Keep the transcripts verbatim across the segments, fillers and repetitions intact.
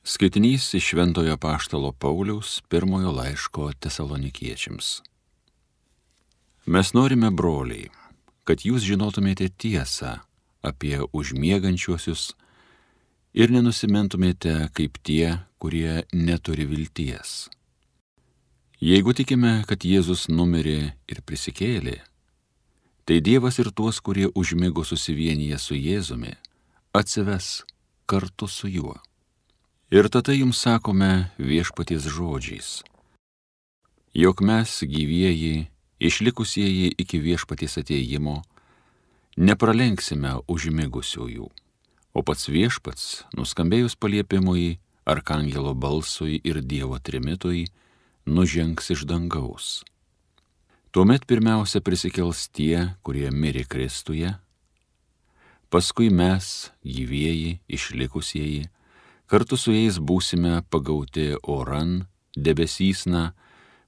Skaitinys iš Šventojo Apaštalo Pauliaus pirmojo laiško Tesalonikiečiams. Mes norime, broliai, kad jūs žinotumėte tiesą apie užmiegančiuosius ir nenusimentumėte kaip tie, kurie neturi vilties. Jeigu tikime, kad Jėzus numirė ir prisikėlė, tai Dievas ir tuos, kurie užmigo susivienyje su Jėzumi, atsives kartu su juo. Ir tada jums sakome viešpaties žodžiais, jog mes gyvieji, išlikusieji iki viešpaties atėjimo, nepralenksime užmigusiųjų, o pats viešpats, nuskambėjus paliepimui, arkangelo balsui ir Dievo trimitui, nužengs iš dangaus. Tuomet pirmiausia prisikels tie, kurie mirė Kristuje, paskui mes, gyvieji, išlikusieji, kartu su jais būsime pagauti oran, debesysna,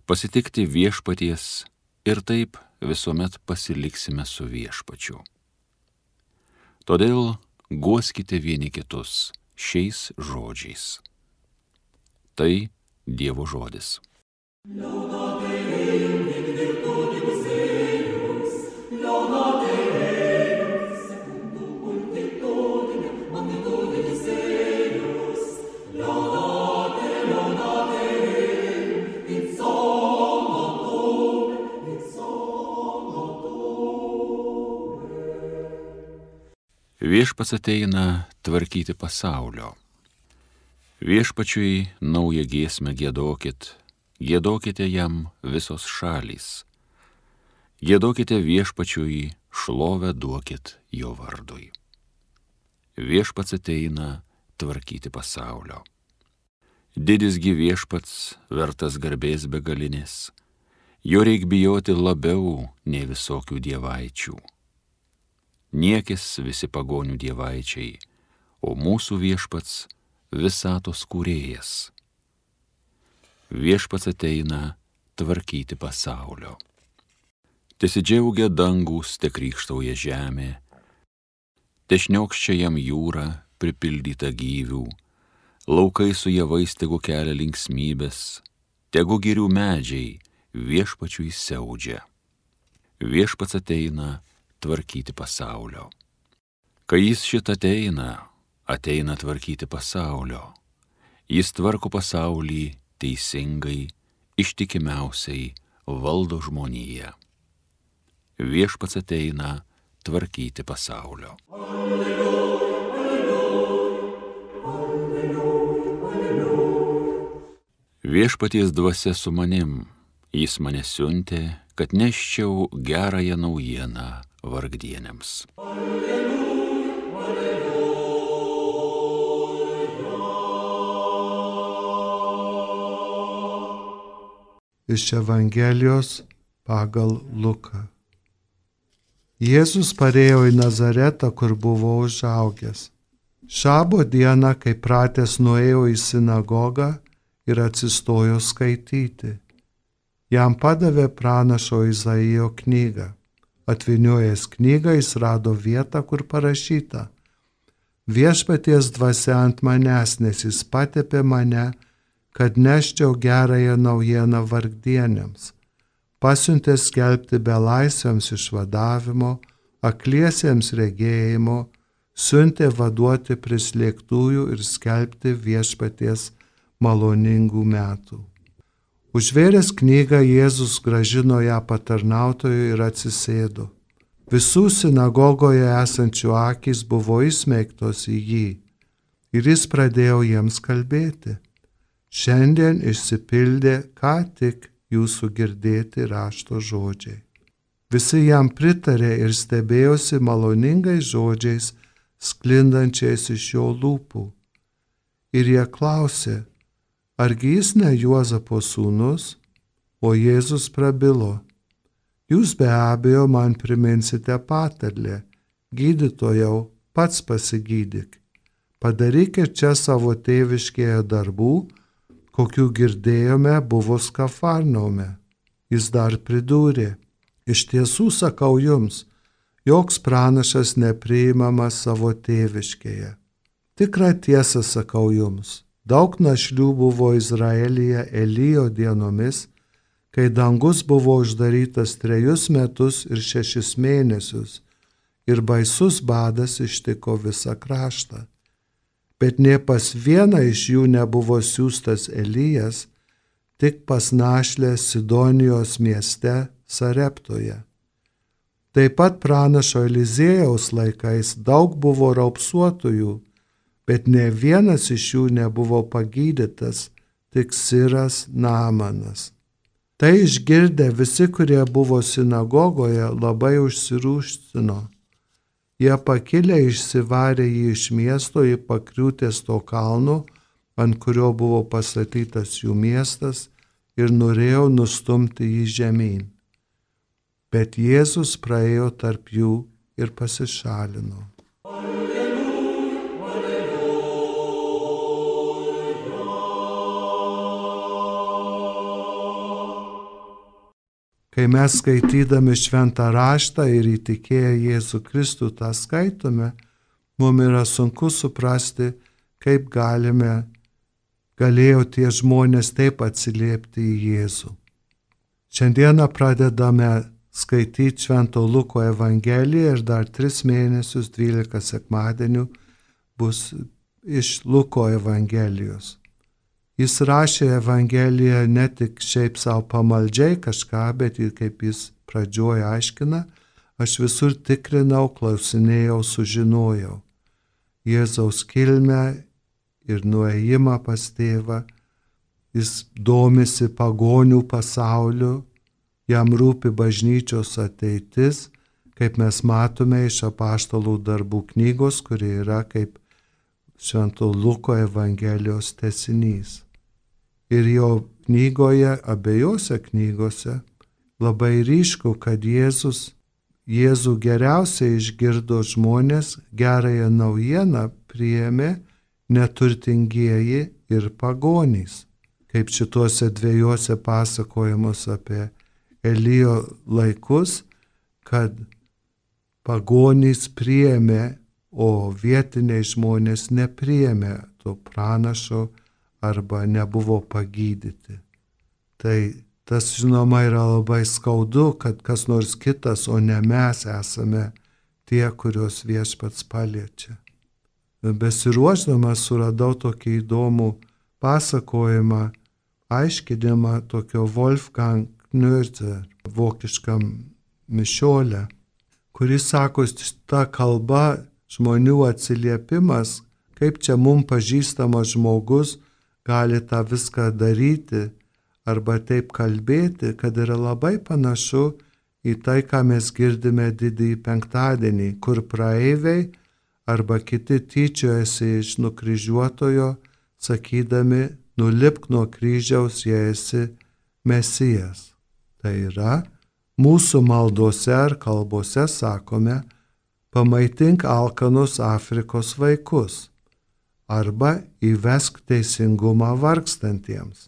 pasitikti viešpaties ir taip visuomet pasiliksime su viešpačiu. Todėl guoskite vieni kitus šiais žodžiais. Tai Dievo žodis. Viešpats ateina tvarkyti pasaulio. Viešpačiui naują giesmę giedokit, giedokite jam visos šalys. Giedokite viešpačiui, šlovę duokit jo vardui. Viešpats ateina tvarkyti pasaulio. Didisgi viešpats, vertas garbės begalinės, jo reik bijoti labiau nei visokių dievaičių. Niekis visi pagonių dievaičiai, o mūsų viešpats visatos kūrėjas. Viešpats ateina tvarkyti pasaulio. Tesidžiaugia dangus, te krykštauja žemė, te šniokščia jam jūra pripildyta gyvių, laukai su javais tegu kelia linksmybės, tegu girių medžiai viešpačiui siaudžia. Viešpats ateina tvarkyti pasaulio. Kai jis šit ateina, ateina tvarkyti pasaulio. Jis tvarko pasaulį teisingai, ištikimiausiai valdo žmoniją. Viešpats ateina tvarkyti pasaulio. Alleluja, alleluja, alleluja. Viešpaties dvasia su manim, jis mane siuntė, kad neščiau gerąją naujieną vargdieniams. Alleluja, alleluja. Iš Evangelijos pagal Luką. Jėzus parėjo į Nazaretą, kur buvo užaugęs. Šabo dieną, kai pratęs, nuėjo į sinagogą ir atsistojo skaityti. Jam padavė pranašo Izaijo knygą. Atvyniojęs knygą, jis rado vietą, kur parašyta: Viešpaties dvasia ant manęs, nes jis patepė mane, kad neščiau gerąją naujieną vargdieniams. Pasiuntė skelbti belaisviams išvadavimo, akliesiems regėjimo, siuntė vaduoti prislėgtųjų ir skelbti viešpaties maloningų metų. Užvėręs knygą, Jėzus grąžino ją patarnautojui ir atsisėdo. Visų sinagogoje esančių akys buvo įsmeigtos į jį ir jis pradėjo jiems kalbėti. Šiandien išsipildė ką tik jūsų girdėti rašto žodžiai. Visi jam pritarė ir stebėjosi maloningais žodžiais, sklindančiais iš jo lūpų. Ir jie klausė: argi jis ne Juozapo sūnus? O Jėzus prabilo: jūs be abejo man priminsite patarlę: gydytojau, pats pasigydyk. Padarykit čia savo tėviškėje darbų, kokių girdėjome buvo Kafarnaume. Jis dar pridūrė: iš tiesų sakau jums, joks pranašas nepriimamas savo tėviškėje. Tikrą tiesą sakau jums, Daug našlių buvo Izraelyje Elijo dienomis, kai dangus buvo uždarytas trejus metus ir šešis mėnesius, ir baisus badas ištiko visą kraštą. Bet nė pas vieną iš jų nebuvo siųstas Elijas, tik pas našlę Sidonijos mieste Sareptoje. Taip pat pranašo Eliziejaus laikais daug buvo raupsuotųjų, bet ne vienas iš jų nebuvo pagydytas, tik Siras Naamanas. Tai išgirdę visi, kurie buvo sinagogoje, labai užsirūštino. Jie pakilę išsivarė jį iš miesto į pakriūtės to kalno, ant kurio buvo pastatytas jų miestas, ir norėjo nustumti jį žemyn. Bet Jėzus praėjo tarp jų ir pasišalino. Kai mes skaitydami šventą raštą ir įtikėję Jėzų Kristų tą skaitome, mums yra sunku suprasti, kaip galime, galėjo tie žmonės taip atsiliepti į Jėzų. Šiandieną pradedame skaityti Švento Luko Evangeliją ir dar tris mėnesius, dvylika sekmadienių bus iš Luko Evangelijos. Jis rašė Evangeliją ne tik šiaip savo pamaldžiai kažką, bet ir kaip jis pradžioj aiškina, aš visur tikrinau, klausinėjau, sužinojau. Jėzaus kilmę ir nuėjimą pas tėvą, jis domisi pagonių pasauliu, jam rūpi bažnyčios ateitis, kaip mes matome iš apaštalų darbų knygos, kuri yra kaip Švento Luko Evangelijos tęsinys. Ir jo knygoje, abiejose knygose, labai ryšku, kad Jėzus, Jėzų geriausiai išgirdo žmonės, gerąją naujieną priėmė neturtingieji ir pagonys. Kaip šituose dviejose pasakojimus apie Elijo laikus, kad pagonys priėmė, o vietiniai žmonės nepriėmė to pranašo arba nebuvo pagydyti. Tai tas, žinoma, yra labai skaudu, kad kas nors kitas, o ne mes esame tie, kurios Viešpats paliečia. Besiruošdamas suradau tokį įdomų pasakojimą, aiškinimą tokio Wolfgang Knörzer, vokiškam mišiolę, kuris sako, ta kalba, žmonių atsiliepimas, kaip čia mums pažįstamas žmogus gali tą viską daryti arba taip kalbėti, kad yra labai panašu į tai, ką mes girdime didįjį penktadienį, kur praeiviai arba kiti tyčiojasi iš nukryžiuotojo, sakydami, nulipk nuo kryžiaus, jei esi Mesijas. Tai yra, mūsų maldose ar kalbose sakome, pamaitink alkanus Afrikos vaikus arba įvesk teisingumą vargstantiems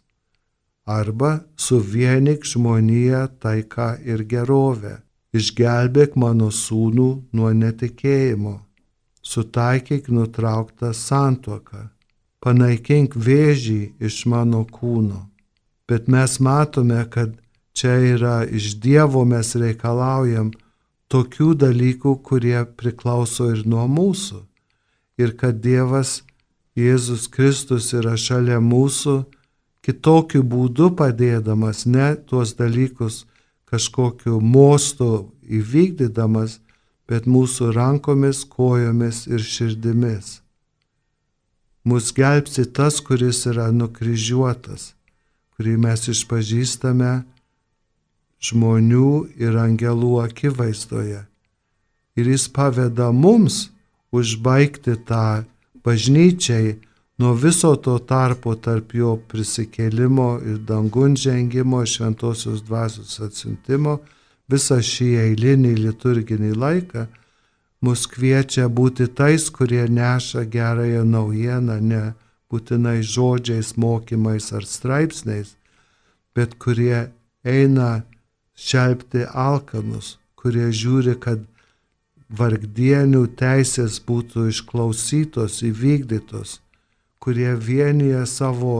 arba suvienyk žmoniją taiką ir gerovę, išgelbėk mano sūnų nuo netikėjimo, sutaikyk nutrauktą santuoką, panaikink vėžį iš mano kūno. Bet mes matome, kad čia yra iš Dievo mes reikalaujam tokių dalykų, kurie priklauso ir nuo mūsų. Ir kad Dievas, Jėzus Kristus yra šalia mūsų, kitokiu būdu padėdamas, ne tuos dalykus kažkokiu mostu įvykdydamas, bet mūsų rankomis, kojomis ir širdimis. Mus gelbsti tas, kuris yra nukryžiuotas, kurį mes išpažįstame žmonių ir angelų akivaizdoje. Ir jis paveda mums užbaigti tą bažnyčiai nuo viso to tarpo tarp jo prisikėlimo ir dangun žengimo, šventosios dvasios atsiuntimo, visą šį eilinį liturginį laiką, mus kviečia būti tais, kurie neša gerąją naujieną, ne būtinai žodžiais, mokymais ar straipsniais, bet kurie eina šelpti alkanus, kurie žiūri, kad vargdienių teisės būtų išklausytos, įvykdytos, kurie vienyje savo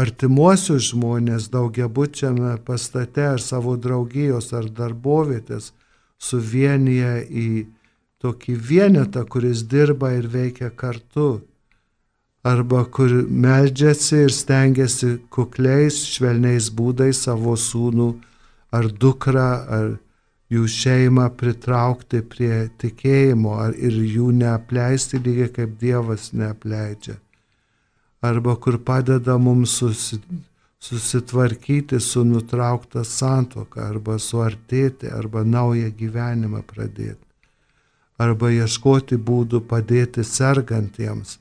artimuosius žmonės daugiabučiame pastate ar savo draugijos ar darbovietės suvienyje į tokį vienetą, kuris dirba ir veikia kartu. Arba kur meldžiasi ir stengiasi kukliais, švelniais būdais savo sūnų ar dukrą ar jų šeimą pritraukti prie tikėjimo ar ir jų neapleisti lygiai kaip Dievas neapleidžia. Arba kur padeda mums susi, susitvarkyti su nutraukta santuoka, arba suartėti, arba naują gyvenimą pradėti. Arba ieškoti būdų padėti sergantiems,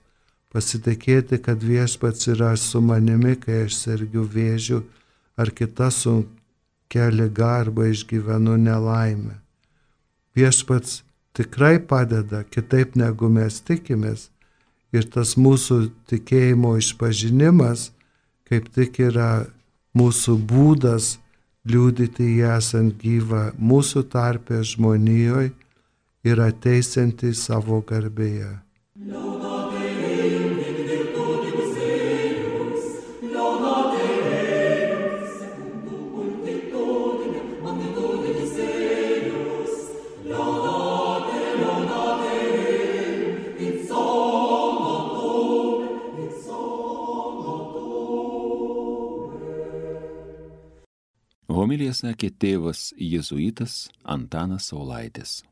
pasitikėti, kad viešpats yra su manimi, kai aš sergiu vėžiu ar kita sunkia liga arba išgyvenu nelaimę. Viešpats tikrai padeda kitaip negu mes tikimės. Ir tas mūsų tikėjimo išpažinimas, kaip tik yra mūsų būdas liudyti jį esant gyvą mūsų tarpe žmonijoje ir ateisiantį savo garbėje. Homiliją sakė tėvas jėzuitas Antanas Saulaitis.